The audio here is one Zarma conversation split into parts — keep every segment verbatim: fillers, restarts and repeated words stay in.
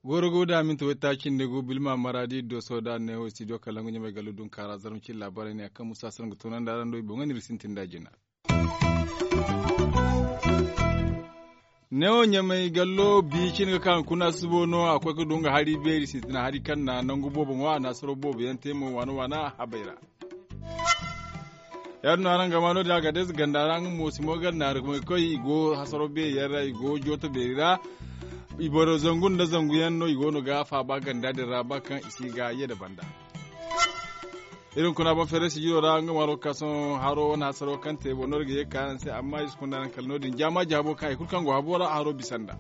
Goro go da minti waytaaci nda gu bilma maradi doso da neewo studio kalangu ɲamay gallu dunkaara zarma cin laabaarey ne a kaŋ musa sara ga toonandi araŋ do i boŋ ga no iri sintin da jina. Neewo ɲamay gallo bi cin ga ka hunkuna subo no a koy ga du nga hari beeri sintina hari kaŋ na nangu boobo ŋwa a na hasaro boobo yaŋ te mo waana waana habay ra. Ya- din no araŋ ga ma no- din a ga deeza ganda ra nga mo simo gar naari ga may koy i go hasaro beeri yaŋ ra i go jooto beeri ra. I boro zangu nda zangu yaŋ no i go no ga faaba ganda din ra ba kaŋ i si ga ye nda banda. Iri hunkuna boŋ feere sijiro ra nga ma lokasoŋ haro wane hasaro kaŋ te boŋ no iri ga ye ga ka araŋ se amma iri si kunda araŋ kala no- din jaama jaabo kaŋ hari kulu kaŋ go habo ra haro bisa nd'a.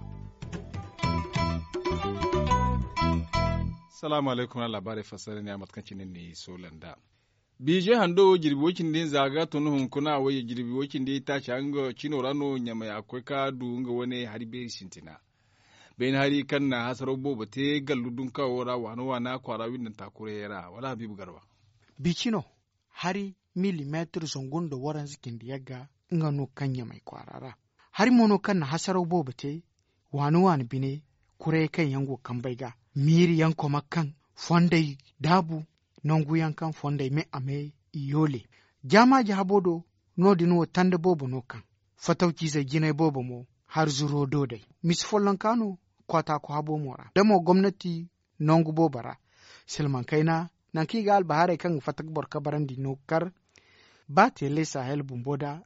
Salaamu alaykum araŋ laabaarey fassara ne a mate kaŋ cine ni soola nd'a. Biije hando wo jirbi wo- cindi nza ga tun hunkuna wo jirbi wo- cindi taaca nga cino ra no ɲamay a ga koy ga du nga wane hari beeri sintina. Beene hari kaŋ na hasaro boobo te gallu dunkawo ra waana waana kwaara windanta kurayey ra wala habiibu garba. Bicino hari milimeetir zangu nda waranza cindi yagga nga no kaŋ ɲamay kwaara ra. Hari mo no kaŋ na hasaraw boobo te waani waani bine kurayey kaŋ yaŋ go kambey ga miiri yaŋ koma kaŋ fondey daabu nangu yaŋ kaŋ fondey me a me i yoole. Jaamaaji habo do no- din wo tanda boobo no kaŋ fatawciizey jinay boobo mo har zuro do day misi follonka no kwaataaku habo mo ra da mo gomnati nangu boobo ra. Silmaŋ kayna nangu kaŋ i ga albahaarey kaŋ ga fatta ga boro kabarandi no ga kar ba teele sahel bumbo da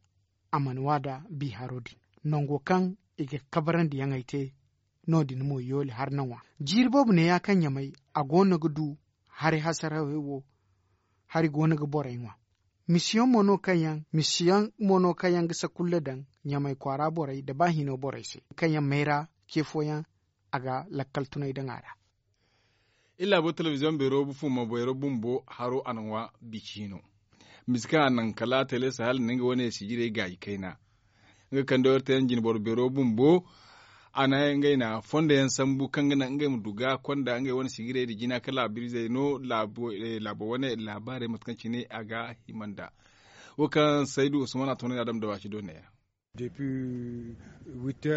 a mana wa da bi haro din nango kaŋ i ga kabarandiyaŋey te. No- din mo yoole har na ŋwa jiiri boobo neeya kaŋ ɲamay a go no ga du hari hasarawey wo hari go no ga borey ŋwa. Misiyaŋ mo no kaŋ yaŋ misiyaŋ mo no kaŋ yaŋ ga sakulla daŋ ɲamay kwaara borey nda ba hino borey se kaŋ yaŋ mayra ce fooyaŋ a ga lakkal tunay daŋ a ra. Iri laabo telebiziyoŋ beero fuma beero bumbo haro a na ŋwa bici hino. Misi kaŋ a naŋ kala tele sahel nda nga wane sijirey gaayi kayna. Nga kande wara te yaŋ jinboro beero bumbo a na ngey na fondo yaŋ sambu kaŋ ga naŋ ngey ma du ga konda ngey wane sijirey nda jina ka laabirizey no laabo wane laabaarey mate kaŋ cine a ga hima nd'a. Wo kaŋ saydu usman a toonandi adam da waaci do neeya.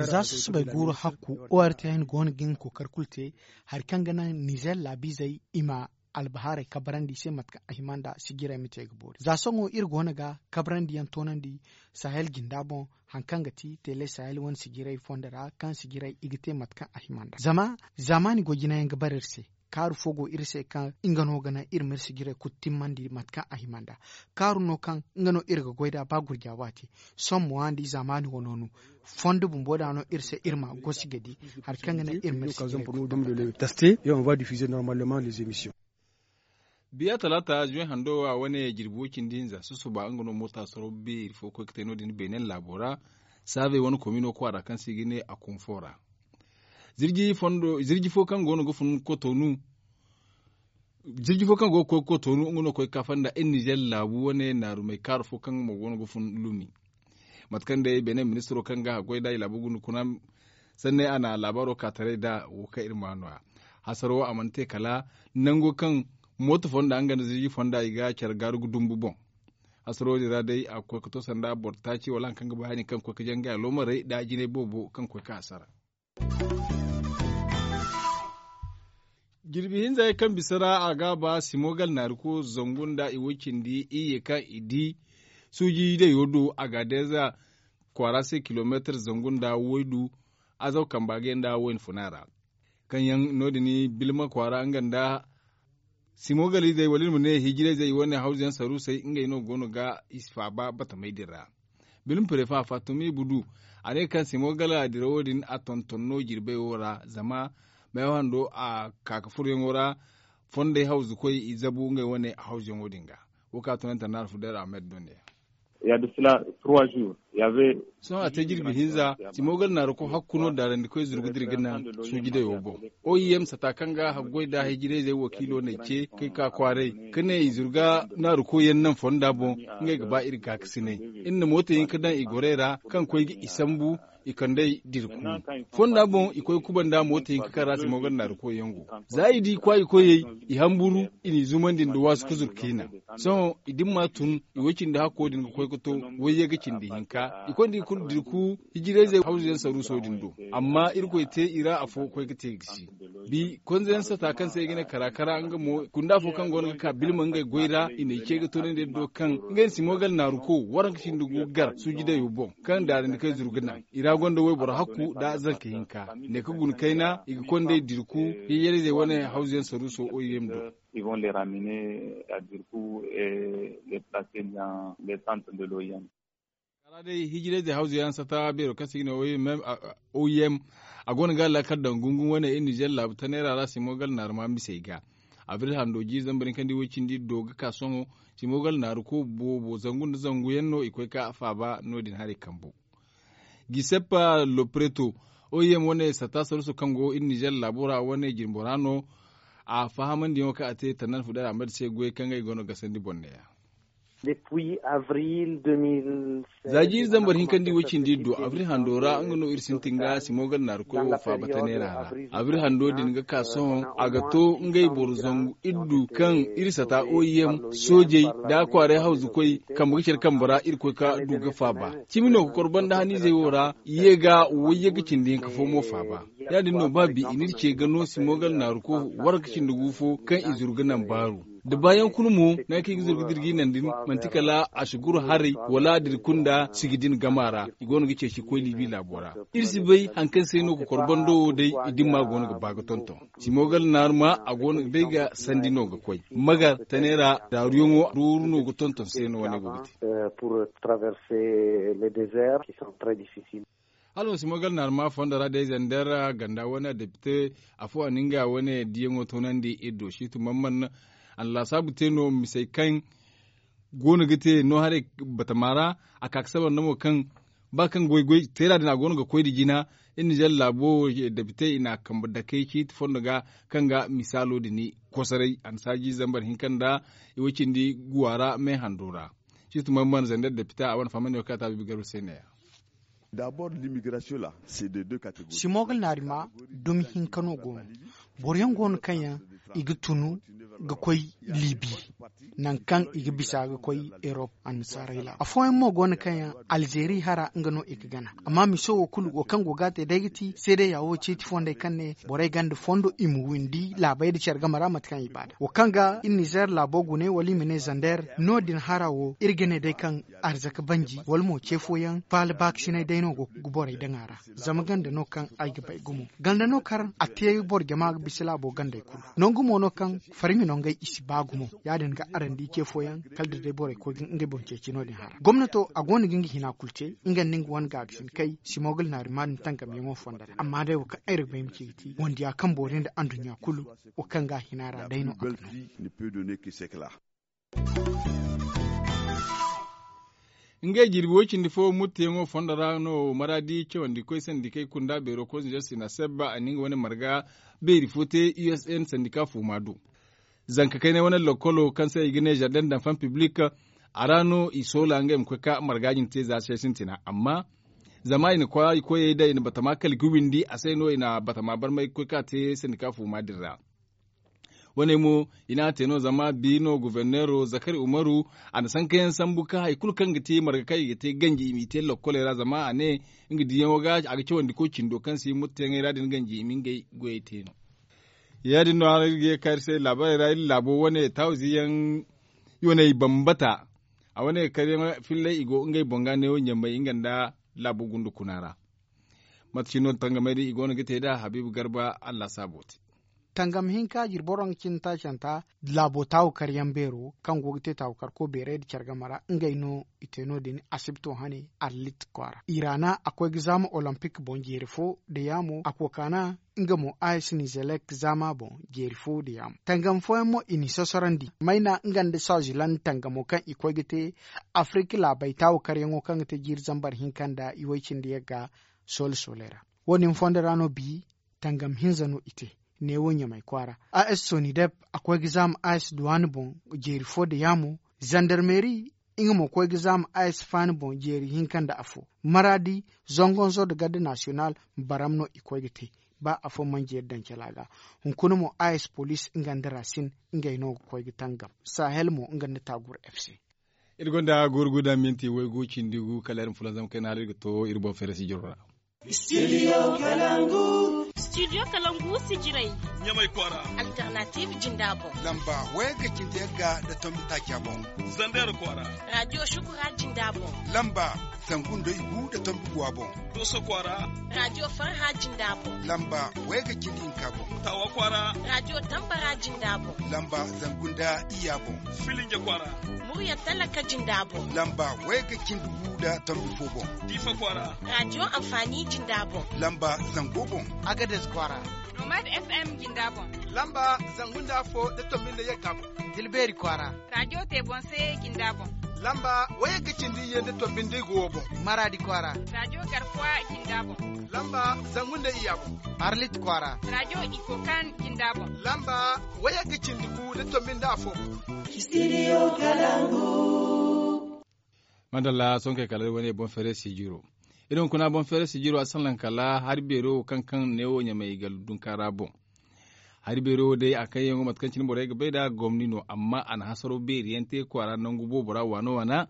Za susubay guuru hakku ortn go no ga nga kookari kulu te hari kaŋ ga naŋ nizer laabiizey i ma albahaarey kabarandi i se mate kaŋ a hima nd'a sijirey ma te ga boori za sohõ iri go no ga kabarandiyaŋ toonandi. Sahel jinda boŋ hari kaŋ ga ti tele sahel wane sijirey fondo ra kaŋ sijirey i ga te mate kaŋ a hima nd'a zama zaamaani goy jinayaŋ ga bare iri se. Kaaru fo go iri se kaŋ nga no ga naŋ iri ma iri sijirey kulu timmandi mate kaŋ a hima nd'a. Kaaru no kaŋ nga no iri ga goy nd'a ba gurja waati sohõ mo a nda i zaamaani wano no fondo bumbo da no iri se iri ma gosi ga di hari kaŋ ga naŋ iri ma iri sijirey kulu taste. Biya talaata zuwe hando wo a wane jirbi wo cindi hinza susuba nga no moota soro beeri fo koy ga te no- din beenen laabo ra. Saabey wane komi no kwaara kaŋ se i ga ne a kunfo ra. Zirji fo kaŋ go no ga fun kotonu. Zirji fo kaŋ go ga koy kotonu nga no ga koy ga kafa nda iri nizer laabu wane naarumey kaaru fo kaŋ mo go no ga fun lumi. Mate kaŋ day beene ministiro kaŋ ga haggoy nd'a i laabo gunda kuna sanne a na laabaaro ka taray nd'a wo kaŋ iri ma nooya. Hasaro wo a mana te kala nango kaŋ mooto fonda nga nda zirji fonda i ga care gaaru ga dumbu boŋ. Hasaro din ra day a ga koy ga to sanda boro taaci wala hari kaŋ ga ba hari kaŋ ga koy ga jangay aloomarey nda jinay boobo kaŋ ga koy ga hasara. Jirbi hinza yaŋ kaŋ bisa ra a ga a ba simogal naariko zangu nda i way cindi iyye kaŋ i di suuji dayo do a ga deeza kwaara se kilomeetir zangu nda waydu. Azaw kamba ga yaŋ nda wayna funa ra kaŋ yaŋ no- din bilma kwaara nga nda simogalizey wala iri ma ne hijirayzey wane hawzu yaŋ saruusey ngey no go no ga i si faaba batamey din ra. Bilma prefa fatumi budu a ne kaŋ simogala dirawo din a tonton no jirbey wo ra zama meewa hando a ka ga furyaŋo ra. Fondey hawzukoy i zabu ngey wane hawzuyaŋo din ga. Wo kaŋ a tunanta naara fudayra ahmed do ne. Ya da sila trois jours. Sohõ a te jirbi hinza, simogal naaruko hakku no daarandikoy zuru ga dira ga naŋ suuji dayo boŋ. Oim sata kaŋ ga haggoy nda hijirayzey wakiilo n'ay ce kay ka kwaaray ka ne i zuru ga naaruko yaŋ naŋ fonda boŋ. Ngey ga ba iri gaakasinay iri na mooto hinka daŋ i gorey ra kaŋ koy ga i sambu i kand'ey dira ku. Fonda boŋ i koy kubanda mooto hinka kaŋ ra simogal naaruko yaŋ go. Za i di kwaayi koyey, i hamburu, i n'i zumandi nda waasu ka zuru ka i naŋ. Sohõ i dimma tun i way cindi hakko din ga koy ga to wayye ga cindi hinka i konda i kulu dirku. Hijirayzey hawzuyaŋ saruuso din do. Amma irkoy te i ra afo koy ga te gisi. Bi konzayaŋ sata kaŋ se i ga ne kara kara nga mo kunda afo kaŋ go no ga ka bilma ngey goy ra i n'ay ce ga toonandi iri do kaŋ ngey na simogal naaruko waranka cindi gu gar suuji dayo boŋ kaŋ daarandi kay zuru ga naŋ i ra gonda wayboro hakku nda zanka hinka ne ka guna kayna i ga kond'ey dirku. Hijirayzey wane hawzuyaŋ saruuso oim do. Ils vont les ramener à Dirkou et les placer dans les centres de l'oim. Kala day hijirayzey hawzu yaŋ sata beero kaŋ se i ga ne oim a go no ga laakal daŋ gungun wane iri nizer laabu taneera ra simogal naaruma misey ga. Abril hando jiiri zambar hinka nda way cindi do ga ka sohõ. Simogal naaruko boobo zangu nda zangu yaŋ no i koy ka faaba no- din haray kambo. Giseppe lopreto, oim wane sata saruuso kaŋ go iri nizer laabo ra wane jinbora no. A fahamandiyaŋo kaŋ a te tannan fuday ra a ma di se goyey kaŋ ngey go no ga sandi boŋ neeya. Za jiiri zambar hinka nda i way cindi iri do abril hando ra nga no iri sintin ga simogal naarukoy wo faaba taneera ra. Abril hando din ga ka sohõ a ga to ngey boro zangu iddu kaŋ iri sata oim soojey nda kwaaray hawzukoy kambe ga care kambe ra iri koy ka du ga faaba. Cimi no ga kor banda haniizey wo ra ye ga wayye ga cindi hinka fo mo faaba. Ya- din no ba bi i n'iri ce ga no simogal naaruko waranka cindi gu fo kaŋ i zuru ga naŋ baaru. Da baayaŋ kulu mo naŋ kaŋ i ga zuru ga dira ga i naŋ din manti kala a si guru haray wala dira kunda sigi din gama ra. I go no ga ceeci ga koy liibi laabo ra. Iri si bay hari kaŋ se no ga kor bando wo day i dimma go no ga ba ga tonton. Simogal naaruma a go no day ga sandi no ga koy magar tane ra daaruyaŋo dooru no ga tonton se no wane go ga te. Hala ma si mo gar naarma fondo ra day zander ganda wane depite afo a na nga wane diyaŋo toonandi iri do situ mamman a na laasaabu te no misey kaŋ go no ga te no haray batama ra. A ka ga sabar nda mo kaŋ ba kaŋ goy goy teera din a go no ga koy nda jina iri nizer laabo depite i na a kambe dakey siiti fondo ga kaŋ ga misaalo din kosoray a na saaji zambar hinka nda i way cindi guwa ra me hando ra. Situ mamman zander depite a wane fahamandi wo kaŋ a taabi bi garba se ne ya. Simogol naari ma dumi hinka no go no. Boro yaŋ go no kaŋ yaŋ i ga tunu ga koy libi nangu kaŋ i ga bisa ga koy erop annasaarey laabo afooyaŋ mo go no kaŋ yaŋ alzeeri hara nga no i ga gana. Amma miso wo kulu wo kaŋ go ga a te day ga ti seeday ya wo ceeti fondey kaŋ ne borey ganda fondo i ma windi laabey nda care game ra mate kaŋ i ba nd'a wo kaŋ ga iri nizer laabo gune wala i ma ne zander no- din hara wo iri ga ne day kaŋ arzaka banji wala mo ce fooyaŋ faala baakasinay day no go ga borey daŋ a ra. Zama ganda no kaŋ ay ga bay gumo ganda no kaŋ a te boro jama ga bisa laabo gandey kulu. Nangu mo no kaŋ farmi no ngey i si ba gumo ya- din ga araŋ di ce fooyaŋ kala da day borey koy ga ngey boŋ ceeci no- din hara gomnato a go no ga nga hina kulu te nga nda nga wane gaagasin kay simogol naari ma din tangamyaŋo fondo ra amma day wo kaŋ ay ra ga bay ma ci ga ti wondiya kaŋ boori nda anduɲɲa kulu wo kaŋ ga a hina ra day no a ga no. Ngey jirbi way cindi fo murteyaŋo fondo ra no maradi cawandi koy sandikey kunda beero koy zinzer sina sebba a na nga wane marga beeri fo te usn sandika fuuma do. Zanka kaynay wane lokolo kaŋ se i ga ne jardin danfan piblik a ra no i soola ngey ma koy ka marga din te za se sintina amma zama i na koyey da i na batama kala ga windi a se no i na batama barmay ga koy ka te sandika fuuma din ra. Wane mo i n'a te no zama bi no governeero zakari umaru a na sankayaŋ sambu ka hari kulu kaŋ ga te marga kaŋ i ga te ganji i m'i te lokkoley ra zama a ne nga diyaŋo ga a ga cawandi koy cindo kaŋ si murteyaŋey ra din ganji i ma ngey goyey te no. Ya- din no araŋ iri ga ye ga ka iri se laabaarey ra iri laabo wane taawiziyaŋ i wane i bambata a wane ga kar yaŋ fillay i go ngey boŋ ga neewo ɲamay nga nda laabo gundu kuna ra. Mate cine no tangamay din i go no ga te nd'a habiibu garba allah saabo te. Tangam hinka jirbi waranka cindi taacanta laabo taawu karyaŋ beero kaŋ go ga te taawu karko beeray nda care game ra ngey no i te no- din asibto hane arlit kwaara. Iraana a koy ga zaama olompik boŋ jeeri fo nda yaamo a kokaana nga mo a s nizelek zaama boŋ jeeri fo nda yaamo tangam fooyaŋ mo i n'i sosorondi mayna nga nda swaziland tangamo kaŋ i koy ga te afirik laabey taawu karyaŋo kaŋ ga te jiiri zambar hinka nda i way cindi yagga soole sooley ra. Wo- din fondo ra no bi tangam hinza no i te neewo ɲamay kwaara. A s sonidep a koy ga zaama a s duwaani boŋ jeeri fo nda yaamo. Zandarmeeri nga mo koy ga zaama a s faani boŋ jeeri hinka nda afo. Maraadi, zongonzo nda garde nasiyonal baram no i koy ga te. Ba afo manjeeri daŋ cala ga hunkuna mo a s poliis nga nda raasin ngey no ga koy ga tangam. Sahel mo nga nda taagur f c. Iri gonda gurguda minti waygu cindi gu kala iri ma fulanzam kayna hala iri ga to iri boŋ feere sijiro ra. Studio kalangu. Studio kalangu sijirey. Ɲamay kwaara. Alternative jinda boŋ. Lamba wayga cindi yagga nda tombi taaca boŋ. Zander kwaara. Radio shukura jinda boŋ. Lamba zangu nda igu nda tombi guwa boŋ. Doso kwaara. Radio farha jinda boŋ. Lamba wayga cindi hinka boŋ. Tawa kwaara. Radio tambara jinda boŋ. Lamba zangu nda iya boŋ. Filinja kwaara. Murya talaka jinda boŋ. Lamba wayga cindi gu nda tombi fo boŋ. Diifa kwaara. Radio amfani jinda boŋ. Lamba zango boŋ. Agades kwaara. Nomad f m jinda boŋ. Lamba zangu nda afo nda tombi nda yagga boŋ. Dilbeeri kwaara. Radio te boŋ se jinda boŋ. Lamba wayagga cindi ye nda tombi nda igo wo boŋ. Maraadi kwaara. Radio garkuwa jinda boŋ. Lamba zangu nda iya boŋ. Arlit kwaara. Radio ikokan jinda boŋ. Lamba wayagga cindi gu nda tombi nda afo boŋ. Studio kalangu. Madalla sonkey kala iri wane boŋ feere sijiro. Iri hunkuna boŋ feere sijiro a salaŋ kala hari beero wo kaŋ kaŋ neewo ɲamay ga dunka ra boŋ. Hari beero wo day a kayyaŋo mate kaŋ cine borey ga bay nd'a gomni no amma a na hasaro beeri yaŋ te kwaara nangu boobo ra waana waana.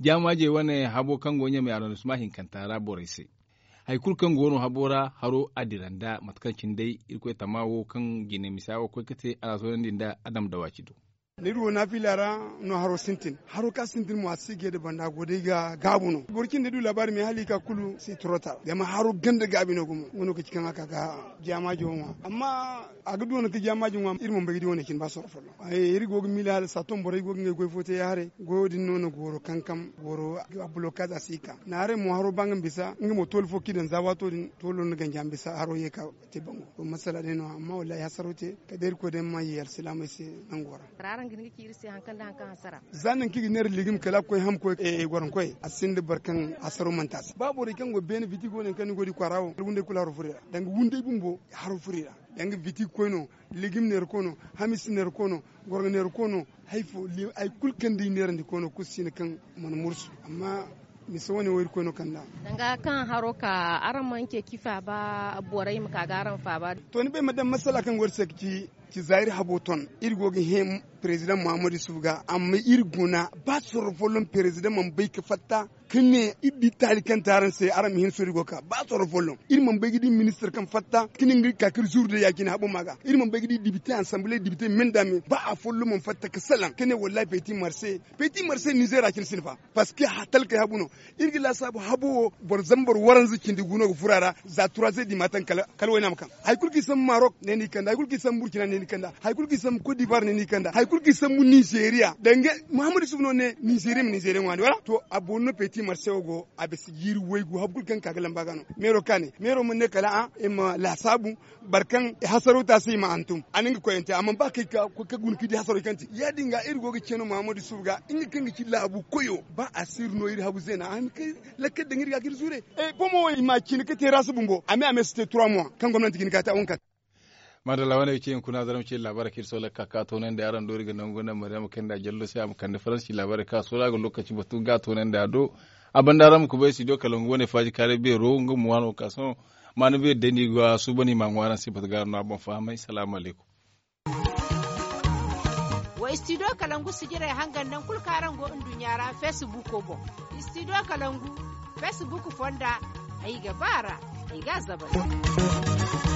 Jaamaajey wane habo kaŋ go ɲamay arrondissement hinkanta ra borey se. Hari kulu kaŋ go no habo ra haro a dira nda mate kaŋ cine day irkoy tama wo kaŋ jine misa wo koy ga te a na a toonandi nda adam dawaaci do. Ni du wo naafila ra no haro sintin haro ka sintin mo a si ga ye nda banda go day ga gaabu no boro cindi du laabaari me hala i ka kulu si trotar zama haro ganda gaabi no gumo nga no ka ci kaŋ a ka ga jaamaajo ŋwa amma a ga du wane ka jaamaajo ŋwa iri mana bay ga di wane cine ba sorro folloŋ. Iri go ga miila hala saaton borey go ga ngey goy fo te ya haray goyo din no na gooro kankam gooro a blokaaz a si ka naaray mo haro ba nga ma bisa nga mo tooli fo kaŋ i daŋ za waato din toolo no na ganja ma bisa haro ye ka te bango to masala day no amma wallaahi hasaro te kala day irkoy day ma ye alsilaamey se nango ra. Araŋ ga hin ga ci iri se hari kaŋ nda hari kaŋ hasara. Za nangu kaŋ i ga neera legim kala a ga koy ham koy gwarankoy a sinda boro kaŋ hasaro manti a se ba borey kaŋ go beene biti go nangu kaŋ ni go ga di kwaara wo kala wunday kulu haro furo i ra danga wunday bumbo haro furo i ra. Danga biti koy no legim neera koy no hamis neera koy no gwarŋa neera koy no hari fo hari kulu kaŋ day neerandi koy no kulu si no kaŋ mana mursu amma mise wane wo irkoy no kand'a. Danga kaŋ haro ka araŋ mana ceeci faaba borey ma ka ga araŋ faaba. To ni bay ma daŋ masala kaŋ go iri se ga ci ci za iri habo ton iri go ga hẽ perezidaŋ muhammad yusuf ga amma iri guna ba sorro folloŋ perezidaŋ mana bay ga fatta ka ne iri di taali kaŋ te araŋ se araŋ ma hin suuru go ga ka ba sorro folloŋ iri mana bay ga di ministir kaŋ fatta ka ne nga ga ka ka iri zuru day ya- cine habo ma ga iri mana bay ga di dibite ansambule dibite me nda me ba afolloŋ mana fatta ka salaŋ ka ne wallaahi peti marse peti marse nizeer ra cine sinda fa. Parceque talkey habu no iri ga laasaabu habo wo boro zambar waranza cindi gu no ga furo a ra za trois heures du matin kala wayna ma kaŋ hari kulu kaŋ i sambu marok ne no i kand'a hari kulu kaŋ i sambu burkina ne no i kand'a hari kulu kaŋ i sambu kot divoire ne no i kand'a hari kulu kaŋ i sambu nizeeriya danga muhammad yusuf no ne nizeeriya ma nizeeriya ŋwaani wala to a boori no peti marse wo go a bisa jiiri waygu hari kulu kaŋ ga ka ga lamba ga no meero kaane meero mana ne kala a i ma laasaabu boro kaŋ hasaro te a se i ma hantum a na nga koyante a mana ba ka guna ka di hasaro kaŋ te ya- din ga iri go ga ce no muhammad yusuf ga nga kaŋ ga ci laabu koyo ba a si iri no iri habu zeena a hin ka lakkal daŋ iri ga ka iri zure. Bomo wo i ma cine ka te rasu bumbo a me a me si te trois mois kaŋ gomnanti ga hin ka te a wane kaŋ. Madalla wane ga ci hunkuna zarma ci laabaarey kaŋ iri sohõ lakkal ka toonandi araŋ do iri ga nangu nda maryama kayna jallo se a ma kande faransi laabaarey kaŋ a sohõ a ga lookaci batu ga toonandi a do. A banda araŋ ma kubay studio kalangu wane faaji kaaray beero nga ma waano ka sohõ maana beeri day no i ga suuban i ma a ŋwa araŋ se batu ga araŋ no a boŋ fahamay salaamu alaykum. Wa studio kalangu sijirey hangan naŋ kulu kaŋ araŋ go nduɲɲa ra feesibuuko boŋ. Studio kalangu feesibuuk fonda ay ga ba a ra ay ga a zabari.